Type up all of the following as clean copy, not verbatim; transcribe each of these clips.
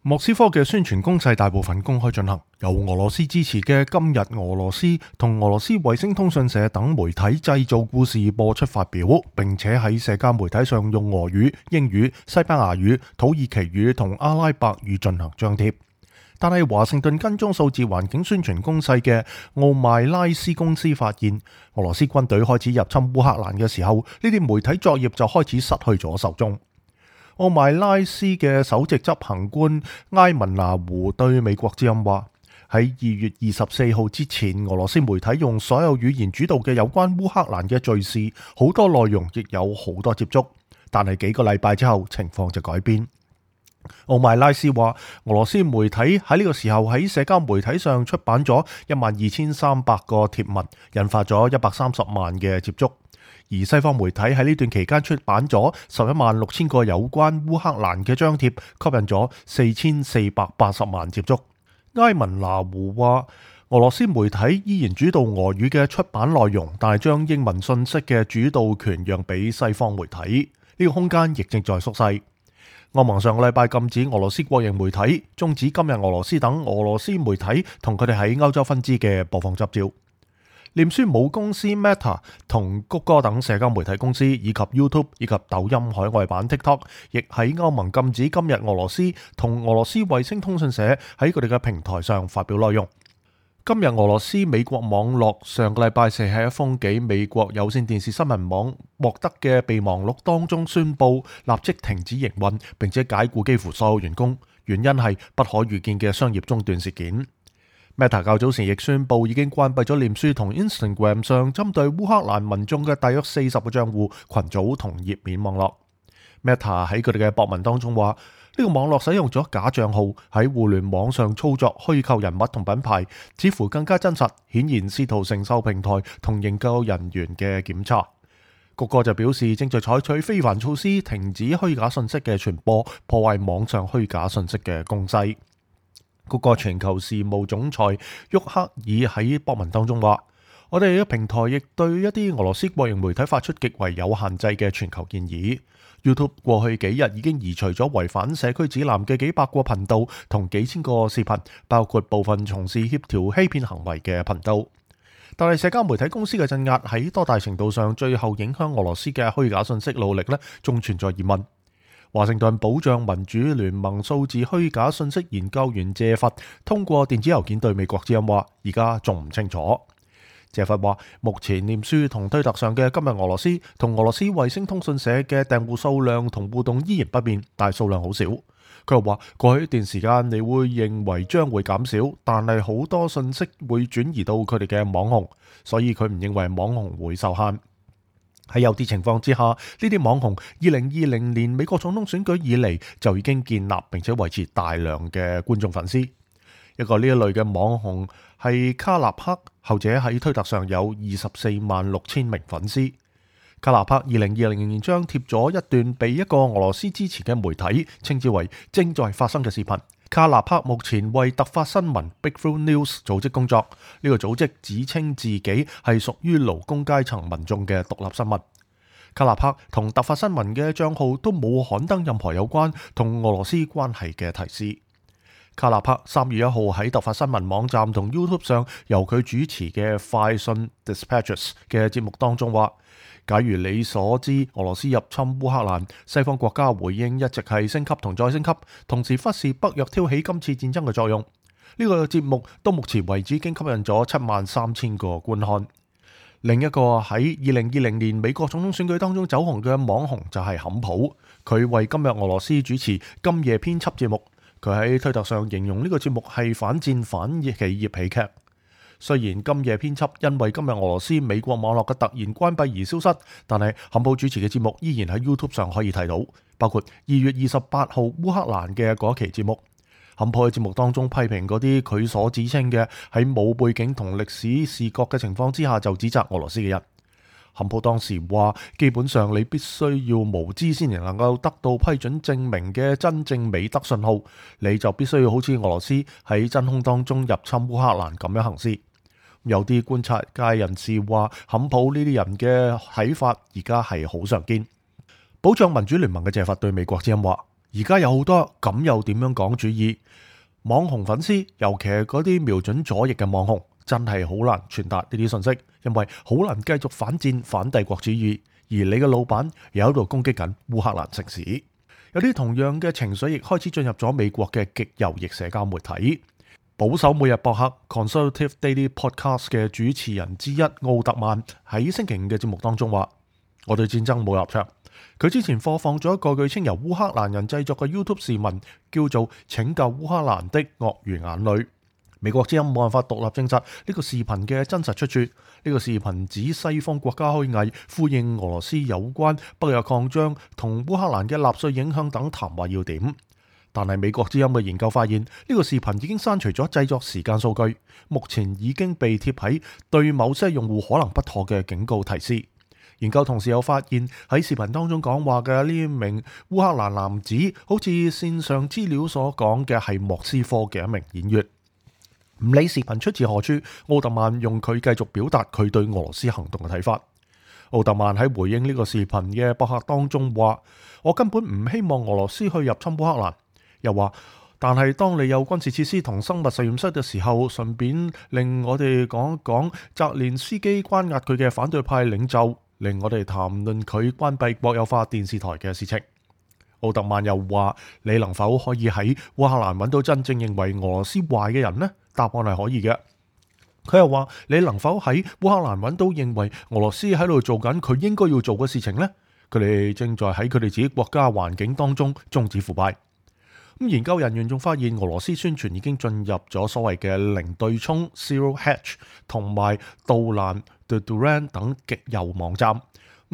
莫斯科嘅宣傳攻勢大部分公開進行，由俄羅斯支持嘅今日俄羅斯同俄羅斯衛星通訊社等媒體製造故事播出發表，並且喺社交媒體上用俄語、英語、西班牙語、土耳其語同阿拉伯語進行張貼。但係華盛頓跟蹤數字環境宣傳攻勢嘅奧邁拉斯公司發現，俄羅斯軍隊開始入侵烏克蘭嘅時候，呢啲媒體作業就開始失去咗受眾。奧邁拉斯嘅首席執行官埃文拿胡對美國之音話：喺2月24號之前，俄羅斯媒體用所有語言主導嘅有關烏克蘭嘅敘事，好多內容亦有好多接觸。但係幾個禮拜之後，情況就改變。奧邁拉斯話，俄羅斯媒體喺呢個時候喺社交媒體上出版咗12300個貼文，引發咗130萬嘅接觸。而西方媒體喺呢段期間出版咗116000個有關烏克蘭嘅張貼，吸引咗4480萬接觸。埃文拿胡話，俄羅斯媒體依然主導俄語嘅出版內容，但係將英文信息嘅主導權讓俾西方媒體，呢個空間亦正在縮細。歐盟上個禮拜禁止俄羅斯國營媒體，終止今日俄羅斯等俄羅斯媒體同佢哋喺歐洲分支嘅播放執照。臉書母公司 Meta 同谷歌等社交媒體公司，以及 YouTube 以及抖音海外版 TikTok， 亦喺歐盟禁止今日俄羅斯同俄羅斯衛星通訊社喺佢哋嘅平台上發表內容。今日俄羅斯美國網絡上個禮拜四喺一封寄美國有線電視新聞網獲得嘅備忘錄當中宣布立即停止營運，並且解僱幾乎所有員工，原因係不可預見嘅商業中斷事件。Meta 較早前亦宣布已經關閉咗臉書同 Instagram 上針對烏克蘭民眾嘅大約40個賬戶、群組同頁面網絡。Meta 喺佢哋嘅博文當中話，呢個網絡使用咗假賬號喺互聯網上操作虛構人物同品牌，似乎更加真實，顯然試圖承受平台同研究人員嘅檢查。谷歌就表示正在採取非凡措施，停止虛假信息嘅傳播，破壞網上虛假信息嘅攻勢。谷歌全球事務總裁沃克爾喺博文當中話：我哋嘅平台亦對一啲俄羅斯國營媒體發出極為有限制嘅全球建議。YouTube 過去幾日已經移除咗違反社區指南嘅幾百個頻道同幾千個視頻，包括部分從事協調欺騙行為嘅頻道。但係社交媒體公司嘅鎮壓喺多大程度上最後影響俄羅斯嘅虛假信息努力呢？仲存在疑問。華盛頓保障民主聯盟數字虛假信息研究員謝佛通過電子郵件對美國之音話：而家仲唔清楚。謝佛話：目前臉書同推特上嘅今日俄羅斯同俄羅斯衛星通訊社嘅訂戶數量同互動依然不變，但係數量好少。佢又話：過去一段時間你會認為將會減少，但係好多信息會轉移到佢哋嘅網紅，所以佢唔認為網紅會受限。喺有啲情況之下，呢啲網紅2020年美國總統選舉以嚟就已經建立並且維持大量嘅觀眾粉絲。一個呢一類嘅網紅係卡納克，後者喺推特上有246000名粉絲。卡納克2020年張貼咗一段被一個俄羅斯支持嘅媒體稱之為正在發生嘅視頻。卡納克目前為突發新聞 Breakthrough News 組織工作，呢個組織指稱自己係屬於勞工階層民眾嘅獨立新聞。卡納克同突發新聞嘅賬號都冇刊登任何有關同俄羅斯關係嘅提示。卡納克3月1號喺突發新聞網站同 YouTube 上由佢主持嘅快訊 Dispatches 嘅節目當中話：假如你所知俄羅斯入侵烏克蘭，西方國家回應一直係升級同再升級，同時忽視北約挑起今次戰爭嘅作用。呢個節目到目前為止已經吸引咗73000個觀看。另一個喺2020年美國總統選舉當中走紅嘅網紅就係坎普，佢為今日俄羅斯主持今夜編輯節目。佢喺推特上形容呢個節目係反戰反企業喜劇。雖然今夜編輯因為今日俄羅斯美國網絡嘅突然關閉而消失，但係坎普主持嘅節目依然喺 YouTube 上可以睇到，包括2月28號烏克蘭嘅嗰期節目。坎普喺節目當中批評嗰啲佢所指稱嘅喺冇背景同歷史視覺嘅情況之下就指責俄羅斯嘅人。坎普當時話：基本上你必須要無知先至能夠得到批准證明嘅真正美德信號，你就必須要好似俄羅斯喺真空當中入侵烏克蘭咁樣行事。有啲觀察界人士話，坎普呢啲人嘅睇法而家係好常見。保障民主聯盟嘅謝佛對美國之音話：而家有好多咁又點樣講主義，網紅粉絲，尤其係嗰啲瞄準左翼嘅網紅，真係好難傳達呢啲信息，因為好難繼續反戰反帝國主義，而你嘅老闆又喺度攻擊緊烏克蘭城市。有啲同樣嘅情緒亦開始進入咗美國嘅極右翼社交媒體。保守每日博客 Conservative Daily Podcast 嘅主持人之一奧特曼喺星期五嘅節目當中話：我對戰爭冇立場。佢之前播放咗一個據稱由烏克蘭人製作嘅 YouTube 視頻，叫做《拯救烏克蘭的鱷魚眼淚》。美國之音冇辦法獨立證實呢個視頻嘅真實出處。呢個視頻指西方國家虛偽呼應俄羅斯有關北約擴張同烏克蘭嘅納粹影響等談話要點。但係美國之音嘅研究發現，呢個視頻已經刪除咗製作時間數據，目前已經被貼喺對某些用戶可能不妥嘅警告提示。研究同時又發現喺視頻當中講話嘅呢名烏克蘭男子，好似線上資料所講嘅係莫斯科嘅一名演員。唔理視頻出自何處，奧特曼用佢繼續表達佢對俄羅斯行動嘅睇法。奧特曼喺回應呢個視頻嘅博客當中話：我根本唔希望俄羅斯去入侵烏克蘭。又話，但係當你有軍事設施同生物實驗室嘅時候，順便令我哋講一講澤連斯基關押佢嘅反對派領袖，令我哋談論佢關閉國有化電視台嘅事情。奧特曼又話：你能否可以喺烏克蘭揾到真正認為俄羅斯壞嘅人呢？答案係可以嘅。佢又話：你能否喺烏克蘭揾到認為俄羅斯喺度做緊佢應該要做嘅事情呢？佢哋正在喺佢哋自己國家環境當中終止腐敗。研究人員仲發現俄羅斯宣傳已經進入咗所謂嘅零對沖 （Zero Hedge） 同埋杜蘭 （The Duran） 等極右網站。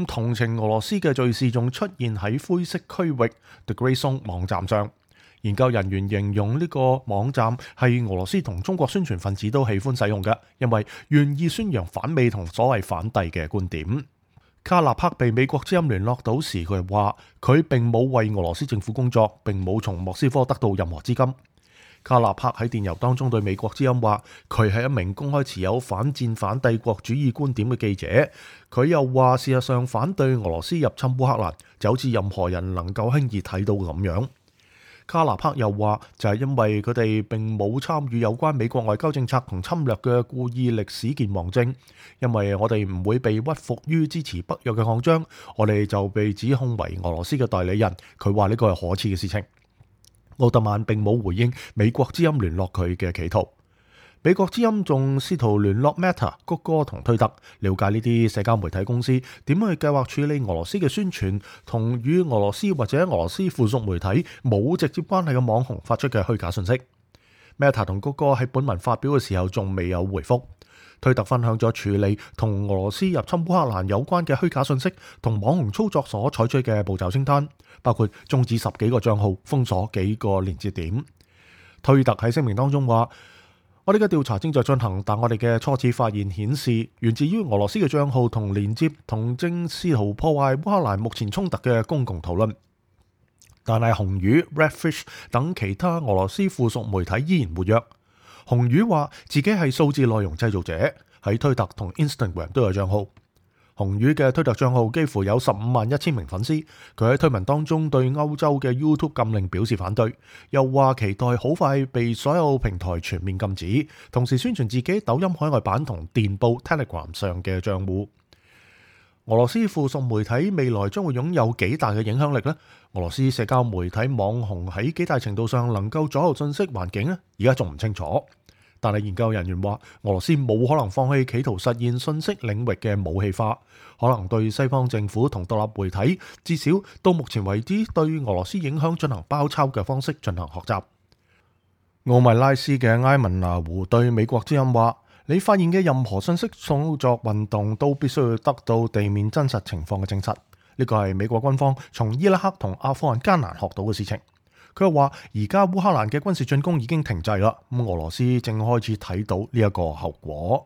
同情俄羅斯嘅敘事仲出現喺灰色區域 （The Grey Zone） 網站上。研究人員形容呢個網站係俄羅斯同中國宣傳分子都喜歡使用嘅，因為願意宣揚反美同所謂反帝嘅觀點。卡納克被美國之音聯絡到時，佢話佢並冇為俄羅斯政府工作，並冇從莫斯科得到任何資金。卡納克喺電郵當中對美國之音話，佢係一名公開持有反戰反帝國主義觀點嘅記者。佢又話，事實上反對俄羅斯入侵烏克蘭，就好似任何人能夠輕易睇到咁樣。卡納克又話，就係因為佢哋並冇參與有關美國外交政策同侵略嘅故意歷史健忘症，因為我哋唔會被屈服於支持北約嘅擴張，我哋就被指控為俄羅斯嘅代理人。佢話呢個係可恥嘅事情。奧特曼並冇回應美國之音聯絡佢嘅企圖。美國之音仲試圖聯絡 Meta、谷歌同推特，了解呢啲社交媒體公司點樣去計劃處理俄羅斯嘅宣傳，同與俄羅斯或者俄羅斯附屬媒體冇直接關係嘅網紅發出嘅虛假信息。Meta 同谷歌喺本文發表嘅時候仲未有回覆。推特分享咗處理同俄羅斯入侵烏克蘭有關嘅虛假信息同網紅操作所採取嘅步驟清單，包括終止10幾個賬號、封鎖幾個連接點。推特喺聲明當中話：我哋嘅調查正在進行，但我哋嘅初次發現顯示，源自於俄羅斯嘅賬號同連接同正試圖破壞烏克蘭目前衝突嘅公共討論。但係紅魚、Redfish 等其他俄羅斯附屬媒體依然活躍。紅魚話自己係數字內容製造者，喺推特同 Instagram 都有賬號。紅魚嘅推特賬號幾乎有15,100,000名粉絲。佢喺推文當中對歐洲嘅 YouTube 禁令表示反對，又話期待好快被所有平台全面禁止，同時宣傳自己抖音海外版同電報 Telegram 上嘅賬戶。俄羅斯附屬媒體未來將會擁有幾大嘅影響力呢？俄羅斯社交媒體網紅喺幾大程度上能夠左右信息環境呢？而家仲唔清楚。但係研究人員話，俄羅斯冇可能放棄企圖實現信息領域嘅武器化，可能對西方政府同獨立媒體，至少到目前為止對俄羅斯影響進行包抄嘅方式進行學習。奧米拉斯嘅埃文拿胡對美國之音話：你發現嘅任何信息操作運動都必須要得到地面真實情況嘅證實。呢個係美國軍方從伊拉克同阿富汗艱難學到嘅事情。佢又話：而家烏克蘭嘅軍事進攻已經停滯啦，咁俄羅斯正開始睇到呢一個後果。